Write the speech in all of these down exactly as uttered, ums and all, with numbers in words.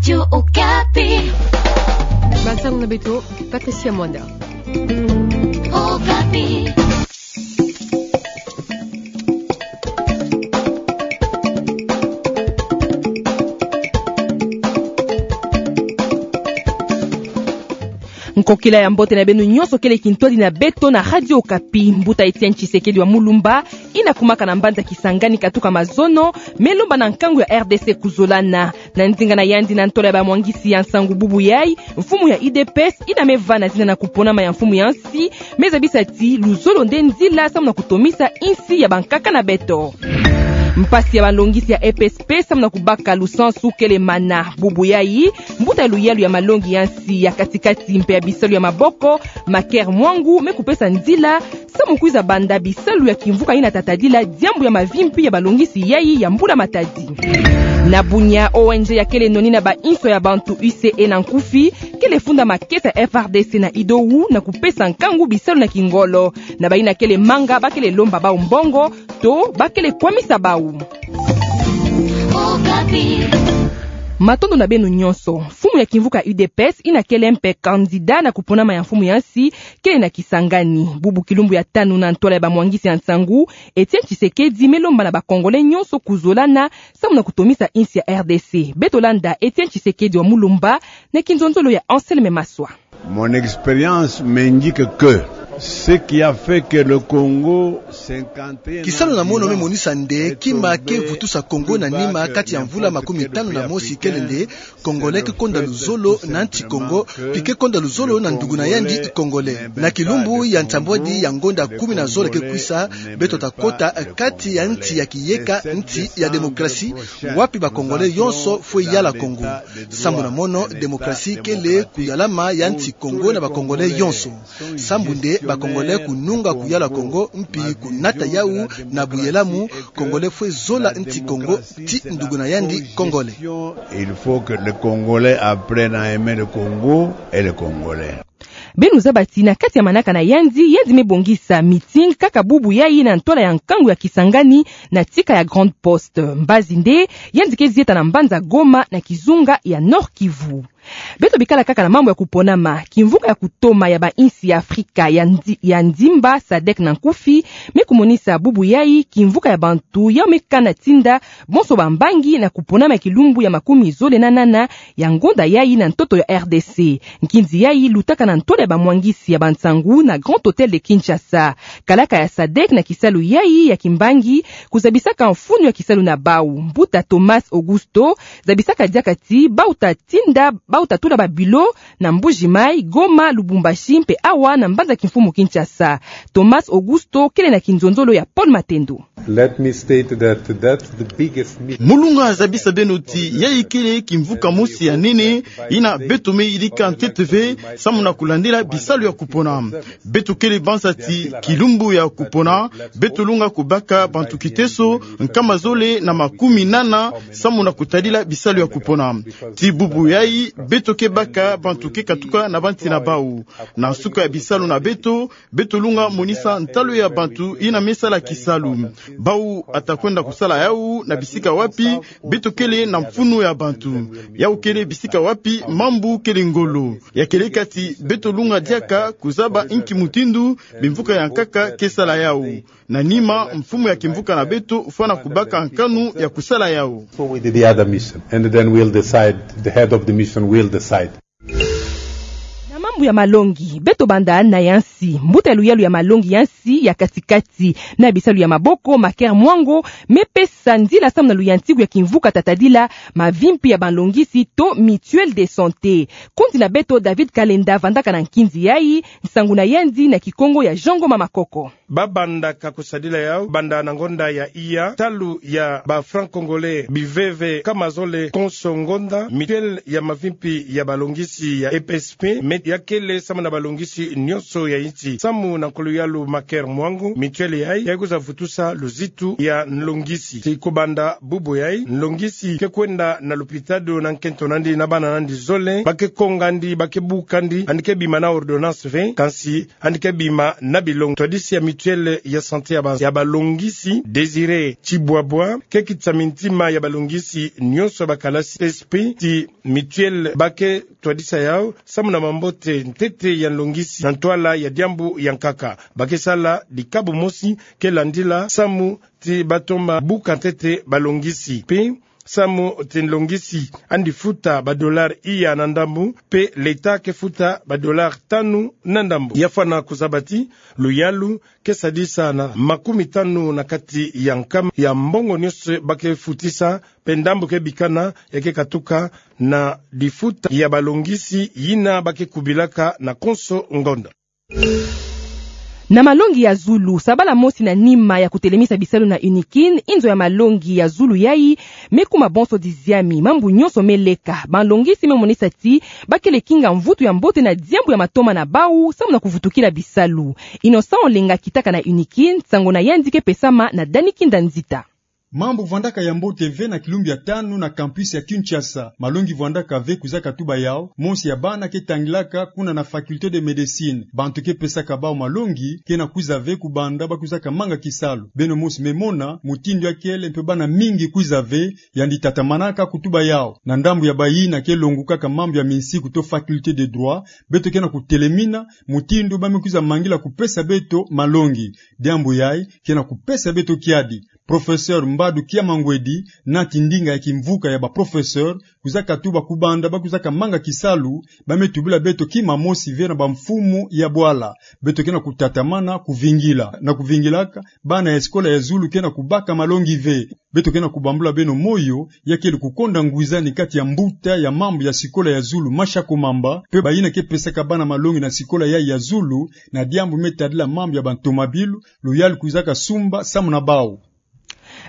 Radio Okapi. Bansango na beto, Patricia Mwanda. Okapi. Nkokila ya mbote na beno nyonso kele kintwadi na beto na Radio Okapi. Mbuta Etienne Tshisekedi wa Mulumba, ina kumaka na mbanza Kisangani katuka mazono, me lomba na nkangu ya R D C kuzolana. Na nzinga na yandi na ntola ya bamwangisi ya nsangu bubu yai, mfumu ya U D P S ina me vana zina na kuponama ya mfumu ya nsi, me zabisa ti luzolo nde nzila samu na kutomisa insi ya bankaka na beto. Mpasi ya balongisi ya E P S P samu na kubaka lusansu kele mana. Bubu yai, mbuta ya luyalu ya malongi ya nsi ya katikati mpe ya bisalu ya maboko, Maker Mwangu, me kupesa nzila samu kwiza banda bisalu ya kimvuka ina tatadila diambu ya mavimpi ya balongisi yai ya mbula matadi. Na Bunia, O N G ya kele noni na bainso ya bantu, U C E na nkufi, kele funda makesa ya F R D C na idowu na kupesa nkangu bisalu na kingolo. Na baina kele manga, bakele lomba bau mbongo, to bakele kwamisa bau. Matondo na beno nyonso. Mfumu ya kimvuka U D P S ina kele mpe candidat na kuponama ya mfumu ya nsi, kele na Kisangani. Bubu kilumbu ya tanu na ntola ya bamwangisi ya nsangu, Etienne Tshisekedi me lomba na ba Congolais nyonso kuzolana samu na kutomisa insi ya R D C. Beto landa Etienne Tshisekedi wa Mulumba na kinzonzolo ya Anselme Maswa. Mon expérience m'indique que ce qui a fait que le Congo cinquante et un ans... Kisalu na mono me monisa nde kima ke vutusa Congo na nima kati ya mvula makumi tanu na mosi kele nde Congolais ke konda luzolo na nsi Congo, pi ke konda luzolo na ndugu na yandi Congolais. Na kilumbu ya nsambwadi ya ngonda kumi na zole ke kwisa, beto ta kota kati ya nsi ya kiyeka, nsi ya demokrasi, wapi ba Congolais yonso fwe yala Congo. Sambu na mono, demokrasi kele kuyalama ya nsi Congo na ba Congolais yonso. Sambu nde ba Congolais kununga kuyala Congo, mpi kunata yau na buyelamu, Congolais fwe zola nsi Congo, ti ndugu na yandi Congolais. Il faut que les Congolais apprennent à aimer le Congo et les Congolais. Beno zaba ti na kati ya manaka na yandi, yandi me bongisa meeting kaka bubu yai na ntola ya nkangu ya Kisangani na tika ya Grande Poste. Mbazi nde, yandi ke zieta na mbanza Goma na kizunga ya Nord-Kivu. Beto bikala kaka na mambu ya kuponama, kimvuka ya kutoma ya bainsi ya Afrika ya ndi-, ya ndimba, sadec na nkufi, me kumonisa bubu yai kimvuka ya bantu yau me kana tinda bonso bambangi na kuponama ya kilumbu ya makumi zole na nana ya ngonda yai na ntoto ya R D C. Nkinzi yai lutaka na ntola ya bamwangisi ya bansangu na Grand Hôtel de Kinshasa. Kalaka ya sadec na kisalu yai ya kimbangi kuzabisaka mfunu ya kisalu na bau. Mbuta Thomas Augusto zabisaka diaka ti bau ta tinda, bau ta tula ba bureau na Mbuji-Mayi, Goma, Lubumbashi mpe awa na mbanza kimfumu Kinshasa. Thomas Augusto kele na kinzonzolo ya Paul Matendo. Let me state that that's the biggest myth. Mu lunga zabisa beno ti yai kele kimvuka mosi ya nene ina beto me yidika ntete ve samu na kulandila bisalu ya kupona. Beto kele banza ti kilumbu ya kupona, beto lunga kubaka bantu kiteso nkama zole na makumi nana samu na kutadila bisalu ya kupona. Ti bubu yai, beto ke baka bantu ke katuka na bansi na bau. Na nsuka ya bisalu na beto, beto lunga monisa ntalu ya bantu ina me sala kisalu. Bau ata kwenda kusala yau na bisika wapi beto kele na mfunu ya bantu. Yau kele bisika wapi mambu kele ngolo. Ya kele kati beto lunga diaka kuzaba nki mutindu bimvuka ya nkaka ke sala yau. Na nima, mfumu ya kimvuka na beto fwana kubaka nkanu ya kusala yau. So with the other mission, and then we'll decide, the head of the mission will decide. Na mambu ya malongi, beto banda na ya nsi. Mbuta ya luyalu ya malongi ya nsi ya katikati na bisalu ya maboko, Maker Mwango, me pesa nzila samu na luyantiku ya kimvuka tatadila mavimpi ya balongisi to mutuelle de santé. Kundi na beto David Kalenda vandaka na nkinzi yai, nsangu na yandi na Kikongo ya Jean Ngoma Makoko. Babandaka kusadila yau banda na ngonda ya iya, talu ya ba francs congolais biveve nkama zole konso ngonda, mutuelle ya mavimpi ya balongisi ya E P S P, me ya kele samu na balongisi nyonso ya insi. Samu na nkuluyalu Maker Mwangu, mutuelle yayi ke kwiza vutusa luzitu ya nlongisi. Tii kubanda bubu yayi, nlongisi ke kwenda na lupitalu na nkento nandi na bana nandi zole, ba ke kongandi, ba ke bukandi, yandi ke bima na ordonnance ve, kansi yandi ke bima na bilongo. Twadisi ya mutuelle ya santé ya ba, ya balongisi, Désiré Tibwabwa, ke kitisa mintima ya balongisi nyonso ya bakalasi S P, tii mutuelle ba ke twadisa yau samu na mambote ntete ya nlongisi na ntwala ya diambu ya nkaka. Ba ke sala dikabu mosi ke landila samu tii ba toma buka ntete balongisi. Mpe samu tii nlongisi yandi futa ba dollars iya na ndambu, mpe l'État ke futa ba dollars tanu na ndambu. Ya fwana kuzaba tii luyalu ke sadisa na makumi tanu na kati ya nkama ya mbongo nyonso ba ke futisa, mpe ndambu ke bikana ya ke katuka na difuta ya balongisi yina ba ke kubilaka na konso ngonda. Na malongi ya zulu, sabala mosi na nima ya kutelemisa bisalu na UNIKIN, inzo ya malongi ya zulu yayi me kuma bonso diziami, mambu nyonso me leka. Balongisi me monisa tii ba kele kinga mvutu ya mbote na diambu ya matoma na bau samu na kuvutukila bisalu. Innocent Olenga kitaka na UNIKIN, nsangu na yandi ke pesama na Dani Kinda Nzita. Mambu vandaka ya mbote ve na kilumbu ya tanu na campus ya Kinshasa. Malongi vandaka ve, kwizaka tuba yau, mosi ya bana ke tangilaka kuna na faculté de médecine. Bantu ke pesaka bau malongi ke na kwiza ve kubanda ba kwizaka manga kisalu. Beno mosi me mona mutindu ya kele, mpe bana mingi kwiza ve, yandi tatamanaka kutuba yau. Na ndambu ya bayina ke longukaka mambu ya minsiku to faculté de droit, beto ke na kutelemina mutindu ba me kwiza mangila kupesa beto malongi. Diambu yayi ke na kupesa beto kiadi. Professeur Mbadu Kiamangwedi, nati ndinga ya kimvuka ya ba professeur, kwizaka tuba kubanda ba kwizaka manga kisalu, ba me tubila beto kima mosi ve na bamfumu ya bwala. Beto ke na kutatamana kuvingila. Na kuvingilaka, bana ya sikola ya zulu ke na kubaka malongi ve. Beto ke na kubambula beno moyo, ya kele kukonda ngwizani kati ya mbuta ya mambu ya sikola ya zulu Masha Komamba, mpe bayina ke pesaka bana malongi na sikola yayi ya zulu, na diambu me tadila mambu ya bantomabilu, luyalu kwizaka sumba samu na bau.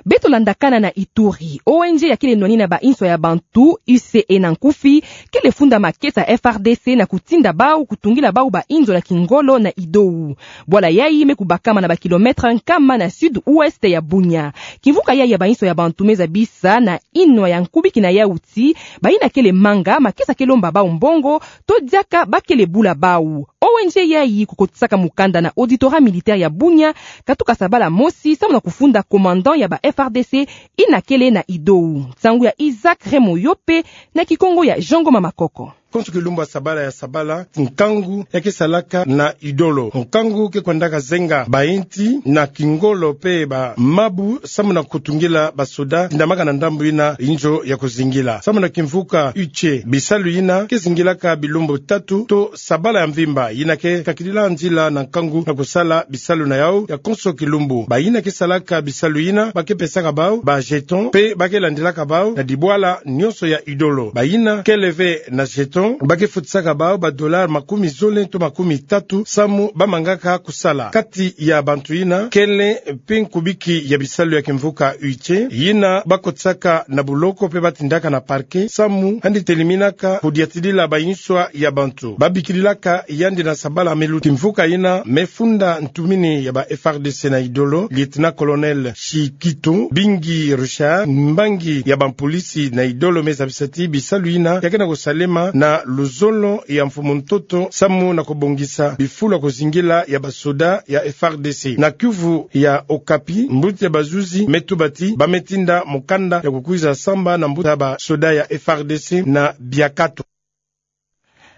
Beto landakana na Ituri. O N G ya kele nwani na ba inso ya bantu, U C E na nkufi, kele funda makesa F R D C na kutinda bau kutungila bau ba inzo na kingolo na Idou. Bwala yayi me kubakama na ba kilomètre nkama na sud-ouest ya Bunia. Kimvuka yayi ya ba inso ya bantu me zabisa na inwa ya nkubiki na yau tii, bayina kele manga makesa ke lomba bau mbongo, to diaka ba kele bula bau. O N G yayi kukotisaka mukanda na auditorat militaire ya Bunia, katuka sabala mosi, samu na kufunda commandant ya ba F R D C yina kele na Idou. Nsangu ya Isaac Remo Yope, na Kikongo ya Jean Ngoma Makoko. Konso kilumbu ya sabala ya sabala, nkangu ya ke salaka na Idolo. Nkangu ke kwendaka zenga ba inti na kingolo mpe ba mabu, samu na kutungila ba soda tindamaka na ndambu yina inzo ya kuzingila. Samu na kimvuka U C E, bisalu yina ke zingilaka bilumbu tatu to sabala ya mvimba, yina ke kakidila nzila na nkangu na kusala bisalu na yau ya konso kilumbu. Bayina ke salaka bisalu yina ba ke pesaka bau ba jeton, mpe ba ke landilaka bau na dibwala nyonso ya Idolo. Bayina kele ve na jeton, ba ke futisaka bau ba dollars makumi zole to makumi tatu, samu ba mangaka kusala. Kati ya bantu yina, kele mpe nkubiki ya bisalu ya kimvuka U C E, yina ba kotisaka na buloko mpe ba tindaka na parquet, samu yandi telemina ka kudiatidila ba inswa ya bantu. Ba bikililaka yandi na sabala me luta. Kimvuka yina me funda ntumini ya ba F R D C na Idolo, lieutenant-colonel Shikito Bingi Richard, mbangi ya bampolisi na Idolo, me zabisa ti bisalu yina ya ke na kusalema na luzolo ya mfumu-ntoto, samu na kubongisa bifulu ya kuzingila ya basoda ya F R D C. Na kiuvu ya Okapi, mbuta ya bazuzi me tuba ti ba me tinda mukanda ya kukwiza samba na mbuta ya basoda ya F R D C na Biakato.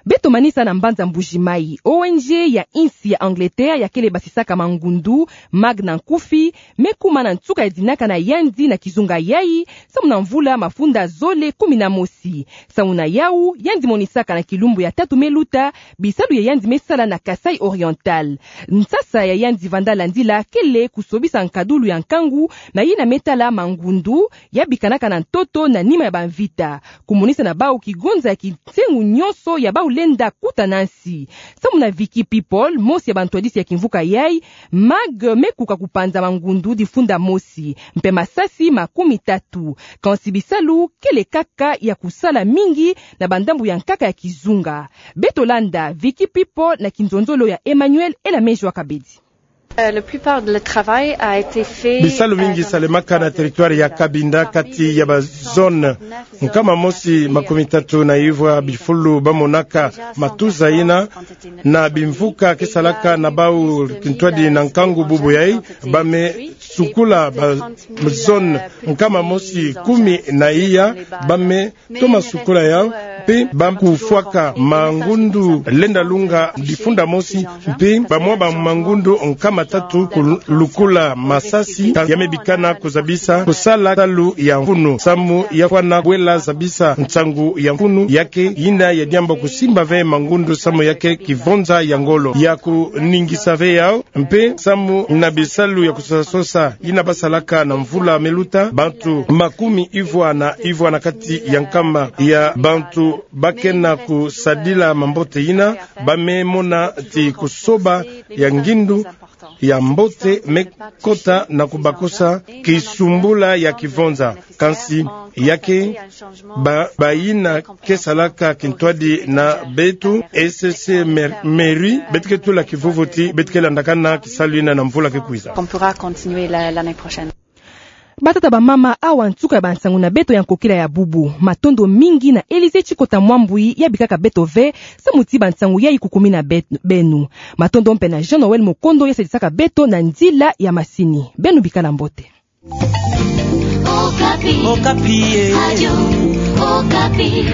Beto manisa na mbanza Mbuji-Mayi. O N G ya insi ya Angleterre ya kele basisaka mangundu, MAG na nkufi, me kuma na nsuka ya dinaka na yandi na kizunga yayi, samu na mvula mafunda zole kumi na mosi. Samu na yau, yandi monisaka na kilumbu ya tatu me luta bisalu ya yandi me sala na Kasaï Oriental. Nsasa ya yandi vanda landila kele kusobisa nkadulu ya nkangu na yina me tala mangundu ya bikanaka na ntoto na nima ya bamvita. Kumonisa na bau kigonza ya kinsengu nyonso ya bau tenda kutana nsi. Samu na Vicky People, mosi ya bantwadisi ya kimvuka yai, Mag me kuka kupanza mangundu difunda mosi, mpe masasi makumi tatu. Kansi bisalu kele kaka ya kusala mingi na bandambu ya nkaka ya kizunga. Beto landa Vicky People na kinzonzolo ya Emmanuel Elamejo Akabedi. Euh, la plupart de le travail a été fait, Bisalu mingi, euh, dans salemaka na territoire ya Cabinda, kati ya ba zone nkama mosi makumi tatu na ivwa bifulu bamonaka matuza ina, na bimvuka ke salaka na bau kintwadi na nkangu bubu yai, ba me sukula ba zone nkama mosi kumi na iya, ba me toma sukula yau, mpe ba kufwaka mangundu lenda lunga difunda mosi, mpe ba mwa ba mangundu nkama tatu kulukula masasi, ya me bikana kuzabisa kusala salu ya mfunu, samu ya fwana kwela zabisa nsangu ya mfunu, ya ke yina ya diambu kusimba ve mangundu samu ya ke kivonza ya ngolo, ya kuningisa ve yau, mpe samu na bisalu ya kusosasosa yina basalaka na mvula me luta, bantu makumi ivwa na ivwa na kati ya nkama ya bantu ba kena kusadila mambote yina, ba me mona ti kusoba ya ngindu ya mbote me kota na kubakusa kisumbula ya kivonza. Kansi ya ke ba, ba yina ke salaka kintwadi na beto, S C C, mer-, mairie, beto ke tula kivuvu ti beto ke landakana kisalu yina na mvula ke kwiza. Qu'on pourra continuer la, l'année prochaine. Batata, bamama, awa nsuka ya bansangu na beto ya nkokila ya bubu. Matondo mingi na Elysée Tshikota Mwambwi ya bikaka beto ve samu ti bansangu yai kukumina be-, beno. Matondo mpe na Jean Noël Mokondo ya sadisaka beto na nzila ya masini. Beno bikala mbote. Okapi. Okapi, eh. Radio Okapi.